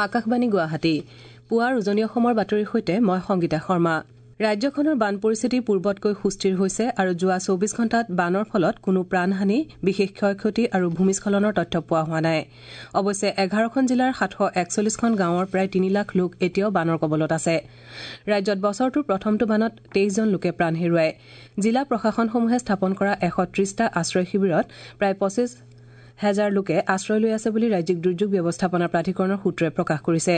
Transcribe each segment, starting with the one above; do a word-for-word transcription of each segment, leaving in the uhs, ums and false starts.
আকাশবাণী গুৱাহাটী পুৱাৰ উজনি অসমৰ বাতৰিৰ সৈতে মই সংগীতা শৰ্মা। ৰাজ্যখনৰ বান পৰিস্থিতি পূৰ্বতকৈ সুস্থিৰ হৈছে আৰু যোৱা চৌবিশ ঘণ্টাত বানৰ ফলত কোনো প্ৰাণহানি, বিশেষ ক্ষয়-ক্ষতি আৰু ভূমিস্খলনৰ তথ্য পোৱা হোৱা নাই। অৱশ্যে এঘাৰখন জিলাৰ সাতশ একচল্লিশখন গাঁৱৰ প্ৰায় তিনি লাখ লোক এতিয়াও বানৰ কবলত আছে। ৰাজ্যত বছৰটোৰ প্ৰথমটো বানত তেইছজন লোকে প্ৰাণ হেৰুৱায়। জিলা প্ৰশাসনসমূহে স্থাপন কৰা এশ ত্ৰিশটা আশ্ৰয় শিবিৰত প্ৰায় পঁচিছ হেজাৰ লোকে আশ্ৰয় লৈ আছে বুলি ৰাজ্যিক দুৰ্যোগ ব্যৱস্থাপনা প্ৰাধিকৰণৰ সূত্ৰই প্ৰকাশ কৰিছে।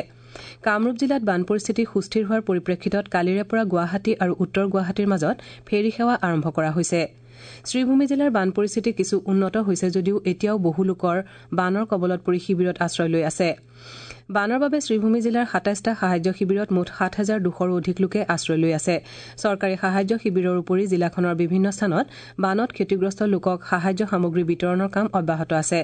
কামৰূপ জিলাত বান পৰিস্থিতি সুস্থিৰ হোৱাৰ পৰিপ্ৰেক্ষিতত কালিৰে পৰা গুৱাহাটী আৰু উত্তৰ গুৱাহাটীৰ মাজত ফেৰী সেৱা আৰম্ভ কৰা হৈছে। শ্ৰীভূমি জিলাৰ বান পৰিস্থিতি কিছু উন্নত হৈছে যদিও এতিয়াও বহু লোকৰ বানৰ কবলত পৰি শিবিৰত আশ্ৰয় লৈ আছে। বানৰ বাবে শ্ৰীভূমি জিলাৰ সাতাইছটা সাহায্য শিবিৰত মুঠ সাত হাজাৰ দুশৰো অধিক লোকে আশ্ৰয় লৈ আছে। চৰকাৰী সাহায্য শিবিৰৰ উপৰি জিলাখনৰ বিভিন্ন স্থানত বানত ক্ষতিগ্ৰস্ত লোকক সাহায্য সামগ্ৰী বিতৰণৰ কাম অব্যাহত আছে।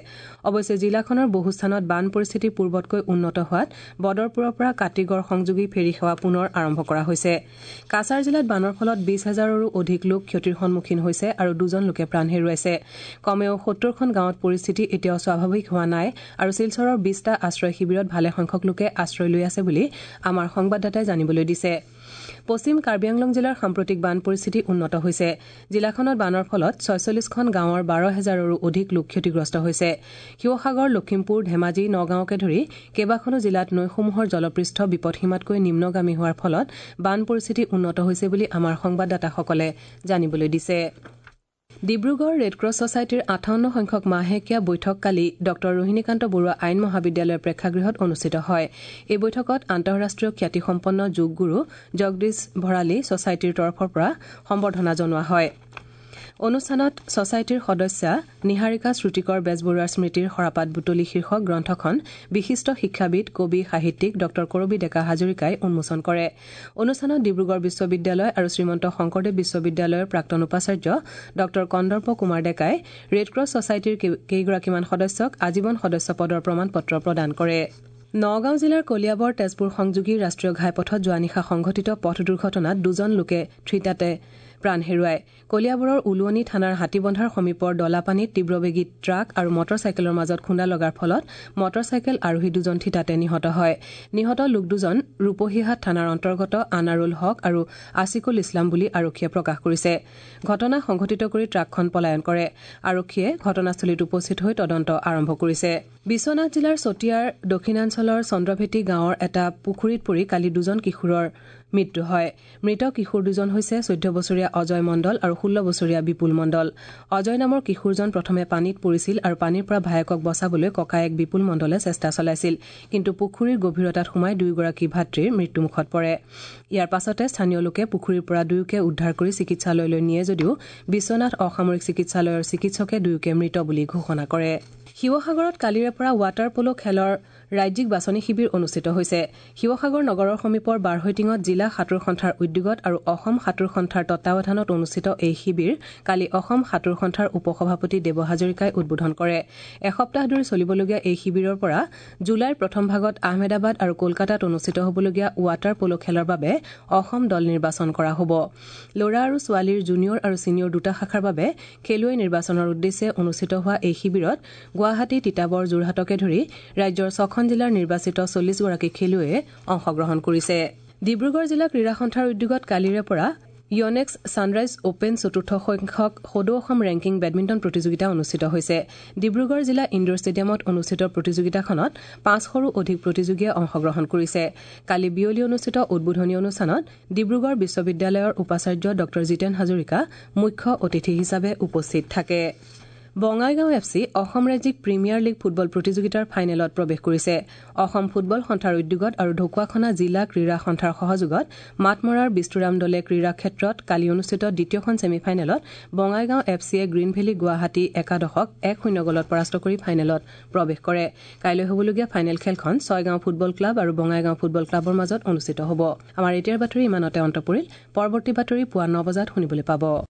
অৱশ্যে জিলাখনৰ বহু স্থানত বান পৰিস্থিতি পূৰ্বতকৈ উন্নত হোৱাত বদৰপুৰৰ পৰা কাটিগড় সংযোগী ফেৰী সেৱা পুনৰ আৰম্ভ কৰা হৈছে। কাছাৰ জিলাত বানৰ ফলত বিশ হাজাৰৰো অধিক লোক ক্ষতিৰ সন্মুখীন হৈছে আৰু দুজন লোকে প্ৰাণ হেৰুৱাইছে। কমেও সত্তৰখন গাঁৱত পৰিস্থিতি এতিয়াও স্বাভাৱিক হোৱা নাই আৰু শিলচৰৰ বিশটা আশ্ৰয় শিবিৰত ভালে সংখ্যক লোকে আশ্ৰয় লৈ আছে বুলি আমাৰ সংবাদদাতাই জানিবলৈ দিছে। পশ্চিম কাৰ্বি আংলং জিলাৰ সাম্প্ৰতিক বান পৰিস্থিতি উন্নত হৈছে। জিলাখনত বানৰ ফলত ছয়চল্লিশখন গাঁৱৰ বাৰ হেজাৰৰো অধিক লোক ক্ষতিগ্ৰস্ত হৈছে। শিৱসাগৰ, লখিমপুৰ, ধেমাজি, নগাঁওকে ধৰি কেইবাখনো জিলাত নৈসমূহৰ জলপৃষ্ঠ বিপদসীমাতকৈ নিম্নগামী হোৱাৰ ফলত বান পৰিস্থিতি উন্নত হৈছে বুলি আমাৰ সংবাদদাতাসকলে জানিবলৈ দিছে। ডিব্ৰুগড় ৰেডক্ৰছ ছচাইটিৰ আঠাৱন্ন সংখ্যক মাহেকীয়া বৈঠক কালি ডঃ ৰোহিণীকান্ত বৰুৱা আইন মহাবিদ্যালয়ৰ প্ৰেক্ষাগৃহত অনুষ্ঠিত হয়। এই বৈঠকত আন্তঃৰাষ্ট্ৰীয় খ্যাতিসম্পন্ন যোগগুৰু জগদীশ ভৰালী ছচাইটিৰ তৰফৰ পৰা সম্বৰ্ধনা জনোৱা হয়। অনুষ্ঠানত ছচাইটিৰ সদস্যা নিহাৰিকা শ্ৰুতিকৰ বেজবৰুৱাৰ স্মৃতিৰ সৰাপাত বুটলি শীৰ্ষক গ্ৰন্থখন বিশিষ্ট শিক্ষাবিদ, কবি, সাহিত্যিক ডঃ কৰবী ডেকা হাজৰিকাই উন্মোচন কৰে। অনুষ্ঠানত ডিব্ৰুগড় বিশ্ববিদ্যালয় আৰু শ্ৰীমন্ত শংকৰদেৱ বিশ্ববিদ্যালয়ৰ প্ৰাক্তন উপাচাৰ্য ডঃ কন্দৰ্প কুমাৰ ডেকাই ৰেডক্ৰছ ছচাইটিৰ কেইগৰাকীমান সদস্যক আজীৱন সদস্য পদৰ প্ৰমাণ পত্ৰ প্ৰদান কৰে। নগাঁও জিলাৰ কলিয়াবৰ তেজপুৰ সংযোগী ৰাষ্ট্ৰীয় ঘাইপথত যোৱা নিশা সংঘটিত পথ দুৰ্ঘটনাত দুজন লোকে থিতাতে প্ৰাণ হেৰুৱায়। কলিয়াবৰৰ উলুৱনি থানাৰ হাতীবন্ধাৰ সমীপৰ দলাপানীত তীব্ৰবেগী ট্ৰাক আৰু মটৰ চাইকেলৰ মাজত খুন্দা লগাৰ ফলত মটৰ চাইকেল আৰোহী দুজন থিতাতে নিহত হয়। নিহত লোক দুজন ৰূপহীহাট থানাৰ অন্তৰ্গত আনাৰুল হক আৰু আছিকুল ইছলাম বুলি আৰক্ষীয়ে প্ৰকাশ কৰিছে। ঘটনা সংঘটিত কৰি ট্ৰাকখন পলায়ন কৰে। আৰক্ষীয়ে ঘটনাস্থলীত উপস্থিত হৈ তদন্ত আৰম্ভ কৰিছে। বিশ্বনাথ জিলাৰ চতিয়াৰ দক্ষিণাঞ্চলৰ চন্দ্ৰভেটি গাঁৱৰ এটা পুখুৰীত পৰি কালি দুজন কিশোৰৰ মৃত্যু হয়। মৃত কিশোৰ দুজন হৈছে চৈধ্য বছৰীয়া অজয় মণ্ডল আৰু ষোল্ল বছৰীয়া বিপুল মণ্ডল। অজয় নামৰ কিশোৰজন প্ৰথমে পানীত পৰিছিল আৰু পানীৰ পৰা ভায়েকক বচাবলৈ ককায়েক বিপুল মণ্ডলে চেষ্টা চলাইছিল, কিন্তু পুখুৰীৰ গভীৰতাত সোমাই দুয়োগৰাকী ভাতৃৰ মৃত্যুমুখত পৰে। ইয়াৰ পাছতে স্থানীয় লোকে পুখুৰীৰ পৰা দুয়োকে উদ্ধাৰ কৰি চিকিৎসালয়লৈ নিয়ে যদিও বিশ্বনাথ অসামৰিক চিকিৎসালয়ৰ চিকিৎসকে দুয়োকে মৃত বুলি ঘোষণা কৰে। শিৱসাগৰত কালিৰে পৰা ৱাটাৰ পল' খেলৰ ৰাজ্যিক বাছনি শিবিৰ অনুষ্ঠিত হৈছে। শিৱসাগৰ নগৰৰ সমীপৰ বাৰহৈটিঙত জিলা সাঁতোৰ সন্থাৰ উদ্যোগত আৰু অসম সাঁতোৰ সন্থাৰ তত্বাৱধানত অনুষ্ঠিত এই শিবিৰ কালি অসম সাঁতোৰ সন্থাৰ উপসভাপতি দেৱ হাজৰিকাই উদ্বোধন কৰে। এসপ্তাহ ধৰি চলিবলগীয়া এই শিবিৰৰ পৰা জুলাইৰ প্ৰথম ভাগত আহমেদাবাদ আৰু কলকাতাত অনুষ্ঠিত হ'বলগীয়া ৱাটাৰ পল' খেলৰ বাবে অসম দল নিৰ্বাচন কৰা হ'ব। ল'ৰা আৰু ছোৱালীৰ জুনিয়ৰ আৰু ছিনিয়ৰ দুটা শাখাৰ বাবে খেলুৱৈ নিৰ্বাচনৰ উদ্দেশ্যে অনুষ্ঠিত হোৱা এই শিবিৰত গুৱাহাটী, তিতাবৰ, যোৰহাটকে ধৰি ৰাজ্যৰ ছখন জিলাৰ নিৰ্বাচিত চল্লিছগৰাকী খেলুৱৈয়ে অংশগ্ৰহণ কৰিছে। ডিব্ৰুগড় জিলা ক্ৰীড়া সন্থাৰ উদ্যোগত কালিৰে পৰা ইয়নেক্স ছানৰাইজ অপেন চতুৰ্থ সংখ্যক সদৌ অসম ৰেংকিং বেডমিণ্টন প্ৰতিযোগিতা অনুষ্ঠিত হৈছে। ডিব্ৰুগড় জিলা ইণ্ডোৰ ষ্টেডিয়ামত অনুষ্ঠিত প্ৰতিযোগিতাখনত পাঁচশৰো অধিক প্ৰতিযোগীয়ে অংশগ্ৰহণ কৰিছে। কালি বিয়লি অনুষ্ঠিত উদ্বোধনী অনুষ্ঠানত ডিব্ৰুগড় বিশ্ববিদ্যালয়ৰ উপাচাৰ্য ডঃ জিতেন হাজৰিকা মুখ্য অতিথি হিচাপে উপস্থিত থাকে। বঙাইগাঁও এফ চি অসম ৰাজ্যিক প্ৰিমিয়াৰ লীগ ফুটবল প্ৰতিযোগিতাৰ ফাইনেলত প্ৰৱেশ কৰিছে। অসম ফুটবল সন্থাৰ উদ্যোগত আৰু ঢকুৱাখনা জিলা ক্ৰীড়া সন্থাৰ সহযোগত মাতমৰাৰ বিষ্ণুৰাম দলে ক্ৰীড়া ক্ষেত্ৰত কালি অনুষ্ঠিত দ্বিতীয়খন ছেমিফাইনেলত বঙাইগাঁও এফ চিয়ে গ্ৰীণ ভেলী গুৱাহাটী একাদশক এক শূন্য গ'লত পৰাস্ত কৰি ফাইনেলত প্ৰৱেশ কৰে। কাইলৈ হ'বলগীয়া ফাইনেল খেলখন ছয়গাঁও ফুটবল ক্লাব আৰু বঙাইগাঁও ফুটবল ক্লাবৰ মাজত অনুষ্ঠিত হ'ব। আমাৰ এতিয়াৰ বাতৰি ইমানতে অন্ত পৰিল। পৰৱৰ্তী বাতৰি পুৱা ন বজাত শুনিবলৈ পাব।